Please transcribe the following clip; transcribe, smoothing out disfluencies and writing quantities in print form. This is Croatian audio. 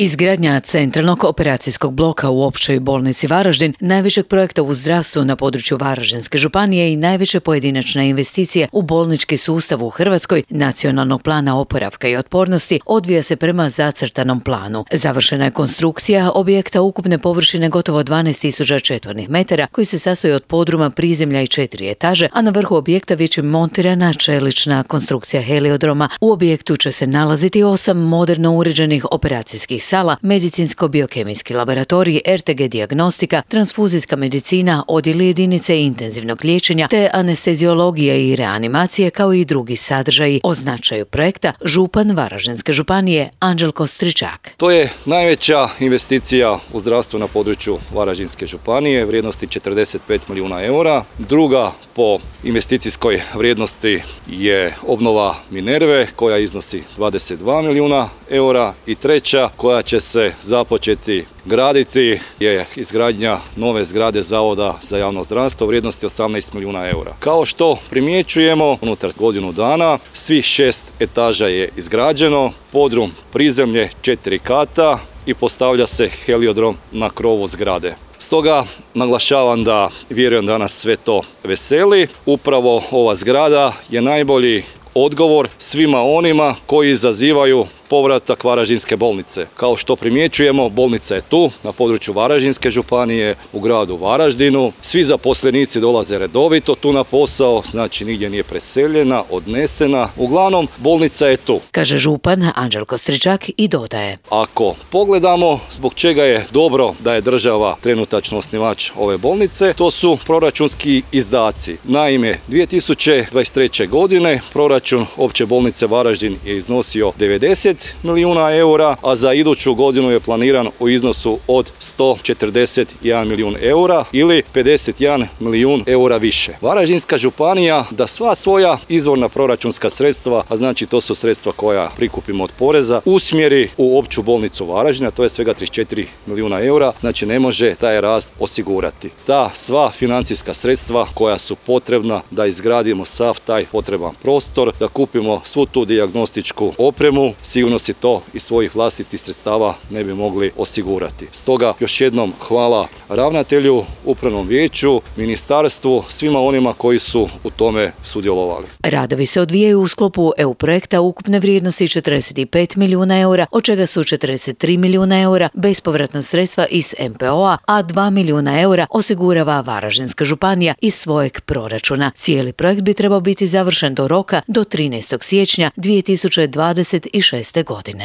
Izgradnja centralnog operacijskog bloka u Općoj bolnici Varaždin, najvećeg projekta u zdravstvu na području Varaždinske županije i najveća pojedinačna investicija u bolnički sustav u Hrvatskoj, Nacionalnog plana oporavka i otpornosti, odvija se prema zacrtanom planu. Završena je konstrukcija objekta ukupne površine gotovo 12.000 četvornih metara, koji se sastoji od podruma, prizemlja i 4 etaže, a na vrhu objekta već je montirana čelična konstrukcija heliodroma. U objektu će se nalaziti 8 moderno uređenih operacijskih sala, medicinsko-biokemijski laboratorij, RTG dijagnostika, transfuzijska medicina, odjeli jedinice intenzivnog liječenja te anesteziologija i reanimacije, kao i drugi sadržaji. O značaju projekta župan Varaždinske županije Anđelko Stričak. To je najveća investicija u zdravstvu na području Varaždinske županije vrijednosti 45 milijuna eura. Druga po investicijskoj vrijednosti je obnova Minerve koja iznosi 22 milijuna eura i treća koja će se započeti graditi je izgradnja nove zgrade Zavoda za javno zdravstvo vrijednosti 18 milijuna eura. Kao što primjećujemo, unutar godinu dana svih 6 etaža je izgrađeno, podrum, prizemlje, 4 kata i postavlja se heliodrom na krovu zgrade. Stoga naglašavam da vjerujem da nas sve to veseli. Upravo ova zgrada je najbolji odgovor svima onima koji izazivaju povratak Varaždinske bolnice. Kao što primjećujemo, bolnica je tu, na području Varaždinske županije, u gradu Varaždinu. Svi zaposlenici dolaze redovito tu na posao, znači nigdje nije preseljena, odnesena. Uglavnom, bolnica je tu. Kaže župan Anđelko Stričak i dodaje. Ako pogledamo zbog čega je dobro da je država trenutačno osnivač ove bolnice, to su proračunski izdaci. Naime, 2023. godine proračun Opće bolnice Varaždin je iznosio 90 milijuna eura, a za iduću godinu je planiran u iznosu od 141 milijun eura ili 51 milijun eura više. Varaždinska županija da sva svoja izvorna proračunska sredstva, a znači to su sredstva koja prikupimo od poreza, usmjeri u Opću bolnicu Varaždina, to je svega 34 milijuna eura, znači ne može taj rast osigurati. Ta sva financijska sredstva koja su potrebna da izgradimo sav taj potreban prostor, da kupimo svu tu dijagnostičku opremu, sigurno si to iz svojih vlastitih sredstava ne bi mogli osigurati. Stoga još jednom hvala ravnatelju, upravnom vijeću, ministarstvu, svima onima koji su u tome sudjelovali. Radovi se odvijaju u sklopu EU projekta ukupne vrijednosti 45 milijuna eura, od čega su 43 milijuna eura bespovratna sredstva iz MPO-a, a 2 milijuna eura osigurava Varaždinska županija iz svojeg proračuna. Cijeli projekt bi trebao biti završen do roka do 13. siječnja 2026. godine.